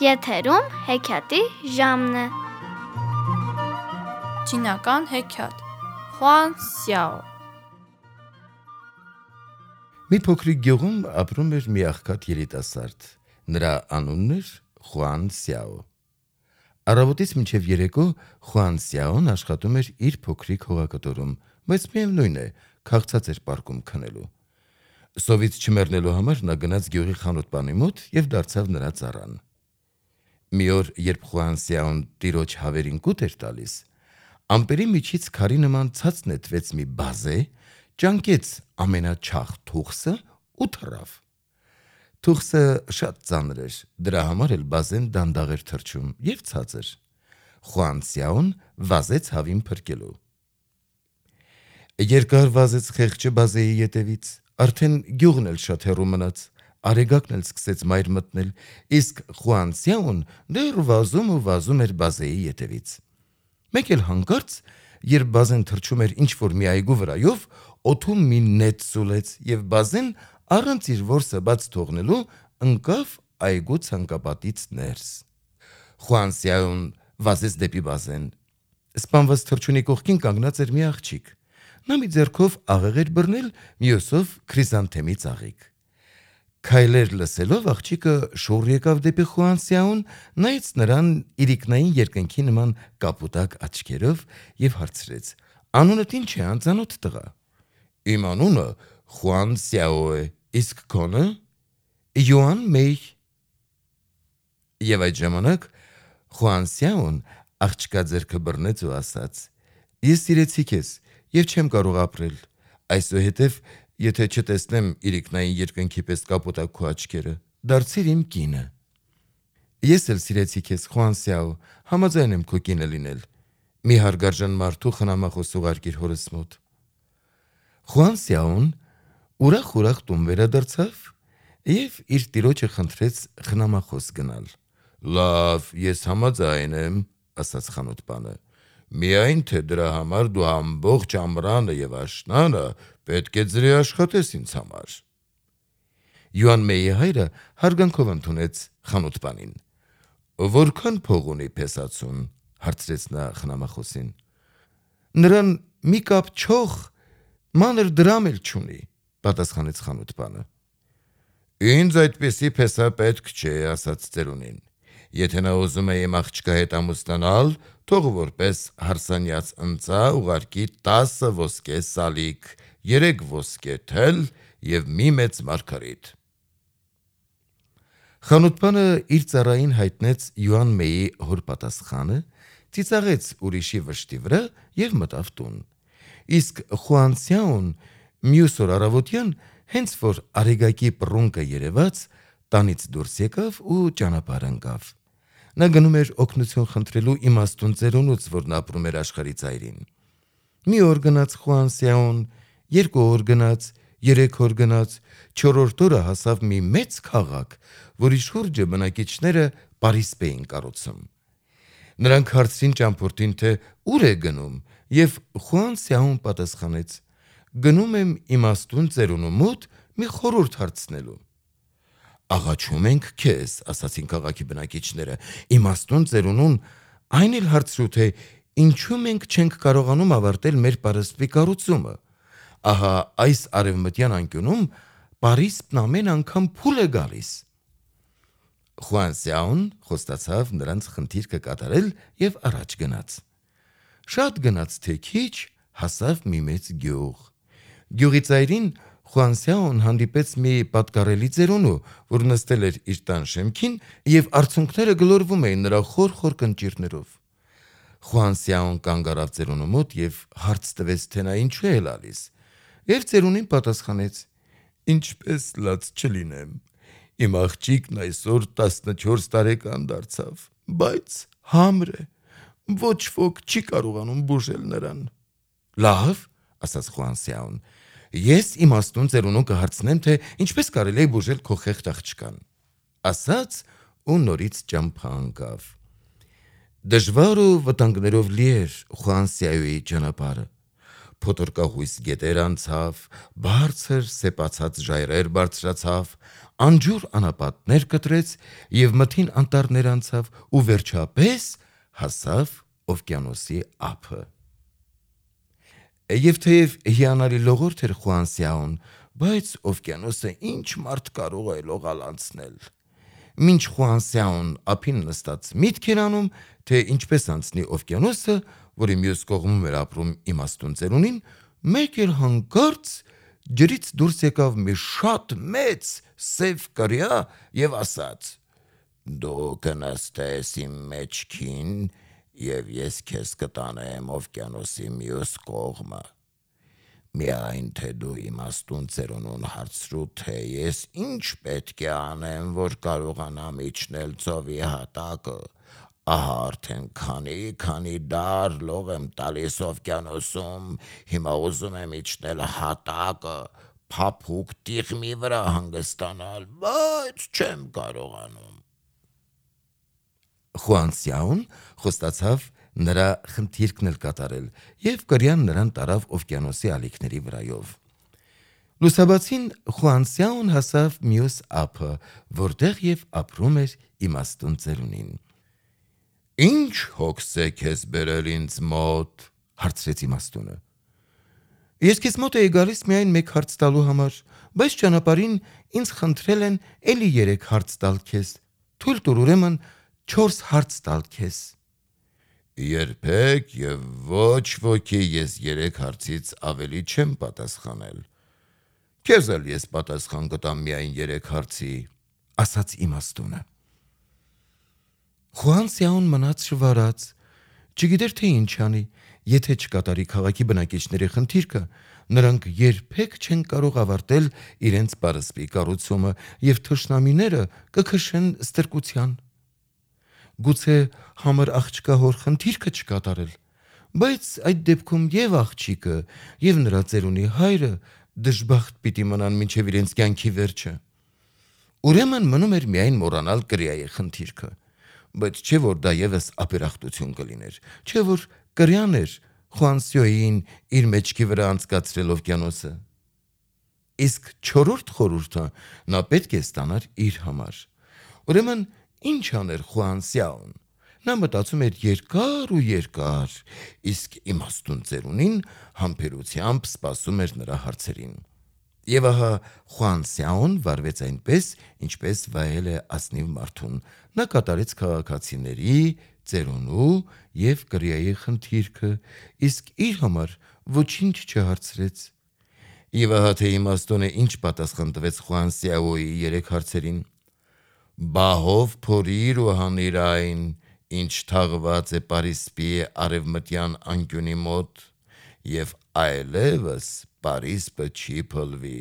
Եթերում հեքիաթի ժամն է։ Չինական հեքիաթ Խուան Սյաո։ Մի փոքրիկ գյուղում ապրում էր մի աղքատ երիտասարդ։ Նրա անունն էր Խուան Սյաո։ Առավոտից մինչև երեկո Խուան Սյաոն աշխատում էր իր փոքրիկ հողակտորում, բայց միևնույն է, քաղցած էր պարկում քնելու։ Սովից չմեռնելու համար նա գնաց գյուղի խանութպանի մոտ և դարձավ նրա ծառան։ Մի օր, երբ Խուան Սյաոն տիրոջ հավերին կուտ էր տալիս, ամպերի միջից քարի նման ցած նետվեց մի բազե, ճանկեց ամենաչախ թուխսը ու թռավ։ Թուխսը շատ ծանր էր, դրա համար էլ բազեն դանդաղ էր թռչում և ցածր։ Խուան Սյաոն վազեց հավին փրկելու։ Երկար վազեց խեղճը բազեի ետևից, արդեն գյուղն էլ շատ հեռու մնաց, արեգակն էլ սկսեց մայր մտնել, իսկ Խուան Սյաոն դեռ վազում ու վազում էր բազեի ետևից։ Մեկ էլ հանկարծ, երբ բազեն թռչում էր ինչ-որ մի այգու վրայով, օդում մի նետ սուլեց և բազեն առանց իր որսը բաց թողնելու ընկավ այգու ցանկապատից ներս։ Խուան Սյաոն վազեց դեպի բազեն։ Սպանված թռչունի կողքին կանգնած էր մի աղջիկ։ Նա մի ձեռքով աղեղ էր բռնել, մյուսով քրիզանթեմի ծաղիկ։ Քայլեր լսելով աղջիկը շուռ եկավ դեպի Խուան Սյաոն, նայեց նրան իրիկնային երկնքի նման կապուտակ աչքերով և հարցրեց. «Անունդ ինչ է, անծանոթ տղա»։ «Իմ անունը Խուան Սյաո է, իսկ քոնը»։ «Յուան Մեյ»։ Եվ այդ ժամանակ Խուան Սյաոն աղջկա ձեռքը բռնեց ու ասաց. «Ես սիրեցի քեզ և չեմ կարող ապրել, այսուհետև եթե չտեսնեմ իրիկնային երկնքի պես կապուտակ քո աչքերը, դարձիր իմ կինը»։ «Ես էլ սիրեցի քեզ, Խուան Սյաո, համաձայն եմ քո կինը լինել, մի հարգարժան մարդու խնամախոս ուղարկիր հորս մոտ»։ Խուան Սյաոն ուրախ տուն վերադարձավ և իր տիրոջը խնդրեց խնամախոս գնալ։ «Լավ, ես համաձայն եմ», ասաց խանութպանը, «միայն թե դրա համար դու ամբողջ ամռանը և աշնանը պետք է ձրի աշխատես ինձ համար»։ Յուան Մեյի հայրը հարգանքով ընդունեց խանութպանին։ «Որքան փող ունի փեսացուն»։ հարցրեց նա խնամախոսին։ «Նրան մի կապ չող, մանր դրամ էլ չունի», պատասխանեց խանութպանը։ «Ինձ այդպիսի փեսա պետք չէ», ասաց ծերունին։ «Եթե նա ուզում է իմ աղջկա հետ ամուսնանալ, թող որպես հարսանյաց ընծա ուղարկի 10 ոսկե սալիկ, 3 ոսկե թել և մի մեծ մարգարիտ»։ Խանութպանը իր ծառային հայտնեց Յուան Մեյի հոր պատասխանը, ծիծաղեց ուրիշի վշտի վրա և մտավ տուն։ Իսկ Խուան Սյաոն մյուս օր առավոտյան, հենց որ արեգակի պռունկը երևաց, տանից դուրս եկավ ու ճանապարհ ընկավ։ Նա գնում էր օգնություն խնդրելու իմաստուն ծերունուց, որն ապրում էր աշխարհի ծայրին։ Մի օր գնաց Խուան Սյաոն, 2 օր գնաց, 3 օր գնաց, 4-րդ օրը հասավ մի մեծ քաղաք, որի շուրջը բնակիչները պարիսպ էին կառուցում։ Նրանք հարցրին ճամփորդին, թե ուր է գնում, և Խուան Սյաոն պատասխանեց. «Գնում եմ իմաստուն ծերունու մոտ մի խորհուրդ հարցնելու»։ «Աղաչում ենք քեզ», ասացին քաղաքի բնակիչները, «իմաստուն ծերունուն այն էլ հարցրու, թե ինչու մենք չենք կարողանում ավարտել մեր պարսպի կառուցումը։ Ահա այս արևմտյան անկյունում պարիսպն ամեն անգամ փուլ է գալիս»։ Խուան Սյաոն խոստացավ նրանց խնդիրքը կատարել և առաջ գնաց։ Շատ գնաց թե քիչ, հասավ մի մեծ գյուղ։ Գյուղի ծայրին Խուան Սյաոն հանդիպեց մի պատկառելի ծերունու, որ նստել էր իր տան շեմքին և արցունքները գլորվում էին նրա խոր կնճիռներով։ Խուան Սյաոն կանգ առավ ծերունու մոտ և հարց տվեց, թե նա ինչու է լալիս, և ծերունին պատասխանեց. «Ինչպես լաց չլինեմ, իմ աղջիկն այսօր 14 տարեկան դարձավ, բայց համր է, ոչ ոք չի կարողանում բուժել նրան»։ «Լավ», ասաց Խուան Սյաոն, «ես իմաստուն ծերունուն կհարցնեմ, թե ինչպես կարելի է բուժել քո խեղճ աղջկան»։ Ասաց ու նորից ճամփա ընկավ։ Դժվար ու վտանգներով լի էր Խուան Սյաոյի ճանապարհը։ փոթորկահույս գետեր անցավ, բարձր սեպացած ժայռեր բարձրացավ, անջուր անապատներ կտրեց եւ մթին անտառներ անցավ ու վերջապես հասավ օվկիանոսի ափը։ Եվ թեև հիանալի լողորդ էր Խուանսյաուն, բայց օվկիանոսը ինչ մարդ կարող է լողալ անցնել։ Մինչ Խուանսյաուն ափին նստած միտք էր անում, թե ինչպես անցնի օվկիանոսը, որի մյուս կողմում էր ապրում իմաստուն ծերունին, մեկ էլ հանկարծ ջրից դուրս եկավ մի շատ մեծ սև կրյա եւ ասաց. «Դու կնստես իմ մեջքին եւ ես քեզ կտանեմ օվկիանոսի մյուս կողմը։ Միայն թե դու իմաստուն ծերունուն հարցրու, թե ես ինչ պետք է անեմ, որ կարողանամ իջնել ծովի հատակը, ահա արդեն քանի դար լող եմ տալիս օվկիանոսում, հիմա ուզում եմ իջնել հատակը, փափուկ տիղմի վրա հանգստանալ, բայց չեմ կարողանում»։ Խուանսյաուն խոստացավ նրա խնդիրքն էլ կատարել եւ կրյան նրան տարավ օվկիանոսի ալիքների վրայով։ Լուսաբացին Խուանսյաուն հասավ մյուս ափը, որտեղ եւ ապրում էր իմաստուն ծերունին։ «Ինչ հոգս է քեզ բերել ինձ մոտ», հարցրեց իմաստունը։ «Ես քեզ մոտ էի գալիս միայն մեկ հարց տալու համար, բայց ճանապարհին ինձ խնդրել են էլի 3 հարց տալ քեզ, թույլ տուր ուրեմն 4 հարց տալ քեզ»։ «Երբեք եւ ոչ ոքի ես 3 հարցից ավելի չեմ պատասխանել։ Քեզ էլ ես պատասխան կտամ միայն 3 հարցի», ասաց իմաստունը։ Խուանսյաուն մնաց շվարած, չգիտեր թե ինչ անի, եթե չկատարի քաղաքի բնակիչների խնդիրքը, նրանք երբեք չեն կարող ավարտել իրենց պարսպի կառուցումը եւ թշնամիները կքշեն ստրկության։ Գուցե համր աղջկա հոր խնդիրքը չկատարել, բայց այդ դեպքում եւ աղջիկը եւ նրա ծերունի հայրը դժբախտ պիտի մնան մինչեւ իրենց կյանքի վերջը։ Ուրեմն մնում էր միայն մոռանալ կրյայի խնդիրքը, բայց չէ որ դա եւս ապերախտություն կլիներ, չէ որ կրյան էր Խուանսյոյին իր մեջքի վրա անցկացրել օվկիանոսը։ Իսկ 4-րդ խորհուրդը նա պետք է ստանար իր համար։ Ուրեմն ինչ աներ Խուանսյաուն։ Նա մտածում էր երկար ու երկար, իսկ իմաստուն ծերունին համբերությամբ սպասում էր նրա հարցերին։ Եվ ահա Խուանսյաուն վարվեց այնպես, ինչպես վայել է ասնիվ մարդուն։ Նա կատարեց քաղաքացիների, ծերունու եւ կրյայի խնդիրքը, իսկ իր համար ոչինչ չհարցրեց։ Եվ ահա թե իմաստունը ինչ պատասխան տվեց Խուանսյաուի 3 հարցերին. «Բահով փորիր ու հանիր այն, ինչ թաղված է պարիսպի արևմտյան անկյունի մոտ, եւ այլևս պարիսպը չի փլվի։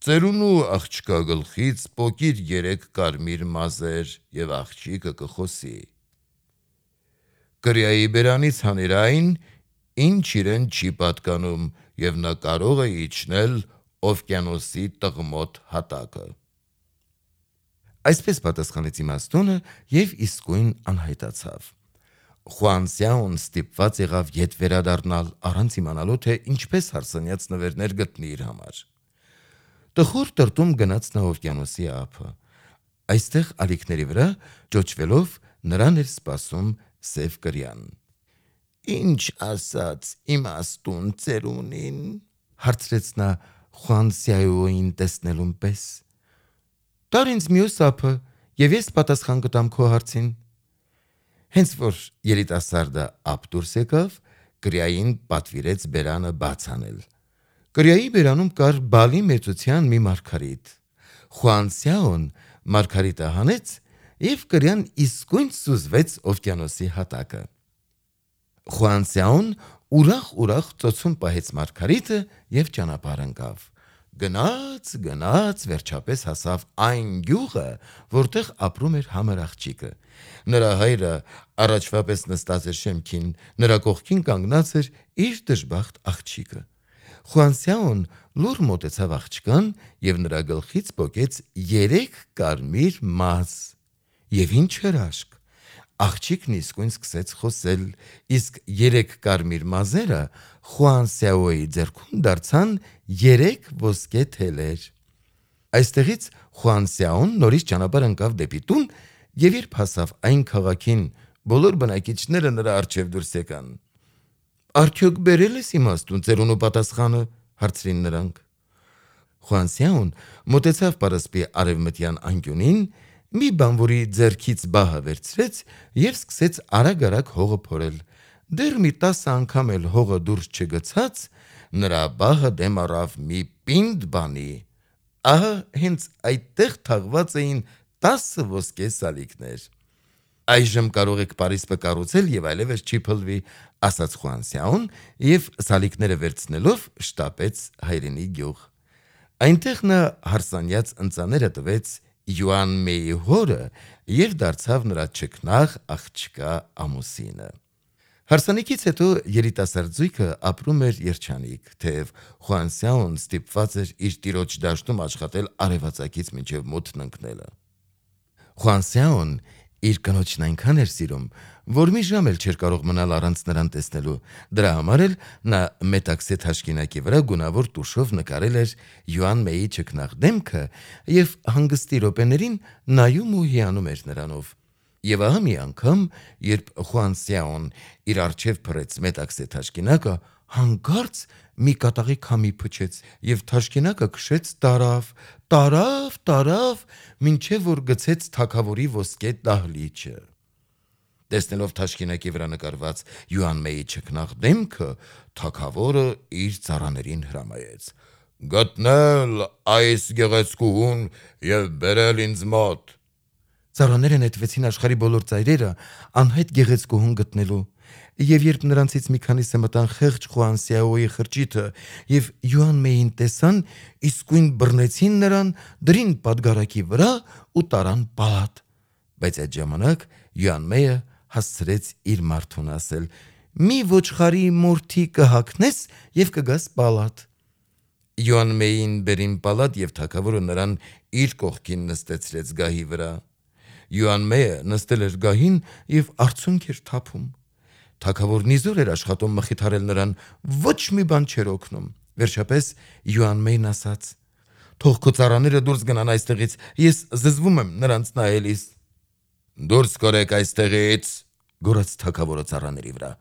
Ծերունու աղջկա գլխից պոկիր 3 կարմիր մազեր եւ աղջիկը կխոսի։ Կրյայի բերանից հանիր այն, ինչ իրեն չի պատկանում, եւ նա կարող է իջնել օվկիանոսի տղմոտ հատակը»։ Այսպես պատասխանեց իմաստունը եւ իսկույն անհայտացավ։ Խուանսյաուն ստիպված եղավ ետ վերադառնալ, առանց իմանալու թե ինչպես հարսանյաց նվերներ գտնի իր համար։ Տխուր տրտում գնաց նա օվկիանոսի ափը։ Այստեղ ալիքների վրա ճոճվելով նրան էր սպասում սև կրյան։ «Ինչ ասաց իմաստուն ծերունին», հարցրեց նա Խուանսյաուին տեսնելուն պես։ «Տար ինձ մյուս ափը եւ ես պատասխան կտամ քո հարցին»։ Հենց որ երիտասարդը ափ դուրս եկավ, կրյային պատվիրեց բերանը բաց անել։ Կրյայի բերանում կար բալի մեծության մի մարգարիտ։ Խուանսյաուն մարգարիտը հանեց եւ կրյան իսկույն սուզվեց օվկիանոսի հատակը։ Խուանսյաուն ուրախ ծոցում պահեց մարգարիտը եւ ճանապարհ ընկավ։ Գնաց, վերջապես հասավ այն գյուղը, որտեղ ապրում էր համր աղջիկը։ Նրա հայրը առաջվա պես նստած էր շեմքին, նրա կողքին կանգնած էր իր դժբախտ աղջիկը։ Խուանսյաուն լուռ մոտեցավ աղջկան եւ նրա գլխից պոկեց 3 կարմիր մազ։ Եվ ինչ հրաշք։ Աղջիկն իսկույն սկսեց խոսել, իսկ 3 կարմիր մազերը Խուան Սյաոյի ձեռքում դարձան 3 ոսկե թելեր։ Այստեղից Խուան Սյաոն նորից ճանապարհ ընկավ դեպի տուն, եւ երբ հասավ այն քաղաքին, բոլոր բնակիչները նրա առջև դուրս եկան։ «Արդյոք բերել ես իմաստուն ծերունու պատասխանը», հարցրին նրանք։ Խուան Սյաոն մոտեցավ պարսպի արևմտյան անկյունին, մի բանվորի ձեռքից բահը վերցրեց եւ սկսեց արագ-արագ հողը փորել։ Դեռ մի 10 անգամ էլ հողը դուրս չգցած, նրա բահը դեմ առավ մի պինդ բանի։ Ահա հենց այդտեղ թաղված էին 10 ոսկե սալիկներ։ «Այժմ կարող եք պարիսպը կառուցել եւ այլևս չի փլվի», ասաց Խուան Սյաոն եւ սալիկները վերցնելով շտապեց հայրենի գյուղ։ Այնտեղ նա հարսանյաց ընծաները տվեց Յուան Մեյի հորը եւ դարձավ նրա ճկնաղ աղջկա ամուսինը։ Հարսանիքից հետո երիտասարդ զույգը ապրում էր երջանիկ, թեև Խուան Սյաոն ստիպված էր իր տիրոջ դաշտում աշխատել արևածագից մինչև մութն ընկնելը։ Խուան Սյաոն իր կնոջն այնքան էր սիրում, որ մի ժամ էլ չէր կարող մնալ առանց նրան տեսնելու։ Դրա համար էլ նա մետաքսե թաշկինակի վրա գունավոր տուշով նկարել էր Յուան Մեյի ճկնաղ դեմքը եւ հանգստի րոպեներին նայում ու հիանում էր նրանով։ Եվ ահա մի անգամ, երբ Խուան Սյաոն իր առջև փռեց մետաքսե թաշկինակը, հանկարծ մի կատաղի քամի փչեց եւ թաշկինակը քշեց տարավ, մինչև որ գցեց թագավորի ոսկե դահլիճը։ Տեսնելով թաշկինակի վրա նկարված Յուան Մեյի ճկնաղ դեմքը, թագավորը իր ծառաներին հրամայեց. «Գտնել այս գեղեցկուհուն եւ բերել ինձ մոտ»։ Ծառաները նետվեցին աշխարհի բոլոր ծայրերը անհայտ գեղեցկուհուն գտնելու, եւ երբ նրանցից մի քանիսը մտան խեղճ Խուան Սյաոյի խրճիթը եւ Յուան Մեյին տեսան, իսկույն բռնեցին նրան, դրին պատգարակի վրա ու տարան պալատ։ Բայց այդ ժամանակ Յուան Մեյը հասցրեց իր մարդուն ասել. «Մի ոչխարի մորթի կհագնես եւ կգաս պալատ»։ Յուան Մեյին բերին պալատ եւ թագավորը նրան իր կողքին նստեցրեց գահի վրա։ Յուան Մեյը նստել էր գահին եւ արցունք էր թափում։ Թագավորն իզուր էր աշխատում մխիթարել նրան, ոչ մի բան չէր օգնում։ Վերջապես Յուան Մեյն ասաց. «Թող քո ծառաները դուրս գնան այստեղից, ես զզվում եմ նրանց նայելիս»։ «Դուրս կորեք այստեղից», գոռաց թագավորը ծառաների վրա։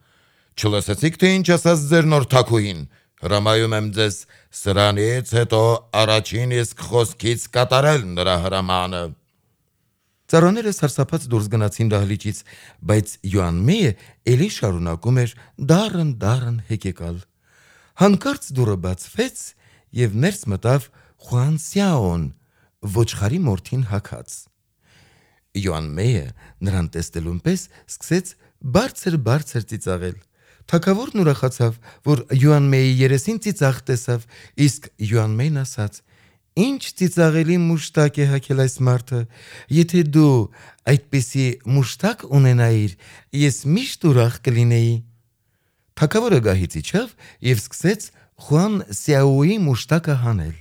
«Չլսեցիք, թե ինչ ասաց ձեր նոր թագուհին։ Հրամայում եմ ձեզ սրանից հետո առաջին իսկ խոսքից կատարել նրա հրամանը»։ Ծառաները սարսափած դուրս գնացին դահլիճից, բայց Յուան Մեյը էլի շարունակում էր դառն հեկեկալ։ Հանկարծ դուռը բացվեց եւ ներս մտավ Խուան Սյաոն, ոչխարի մորթին հագած։ Յուան Մեյը նրան տեսնելուն պես սկսեց բարձր ծիծաղել։ Թագավորն ուրախացավ, որ Յուան Մեյի երեսին ծիծաղ տեսավ, իսկ Յուան Մեյն ասաց. «Ինչ ծիծաղելի մուշտակ է հագել այս մարդը, եթե դու այդպիսի մուշտակ ունենայիր, ես միշտ ուրախ կլինեի»։ Թագավորը գահից իջավ եւ սկսեց Խուան Սյաոյի մուշտակը հանել։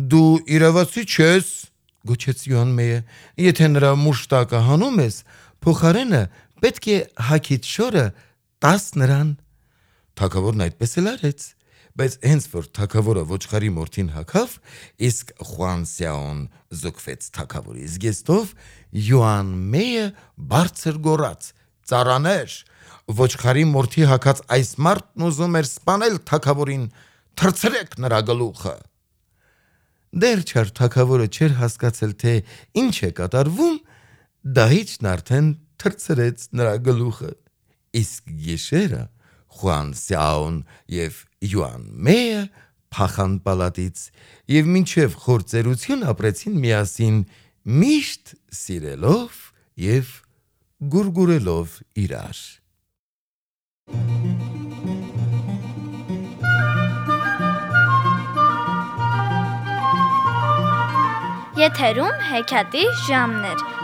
«Դու իրավացի չես», գոչեց Յուան Մեյը, «եթե նրա մուշտակը հանում ես, փոխարենը պետք է հագիդ շորը տաս նրան»։ Թագավորն այդպես էլ արեց, բայց հենց որ թագավորը ոչխարի մորթին հագավ, իսկ Խուան Սյաոն զոկվեց թագավորի զգեստով, Յուան Մեյը բարձր գոռաց. «Ծառաներ, ոչխարի մորթի հագած այս մարդն ուզում էր սպանել թագավորին, թռցրեք նրա գլուխը»։ Դեռ չար թագավորը չէր հասկացել, թե ինչ է կատարվում, դահիճն արդեն թռցրեց նրա գլուխը։ Իսկ գիշերը Խուան Սյաոն եւ Յուան Մեյը փախան պալատից եւ մինչև խոր ծերություն ապրեցին միասին, միշտ սիրելով եւ գուրգուրելով իրար։ Եթերում հեքիաթի ժամն էր։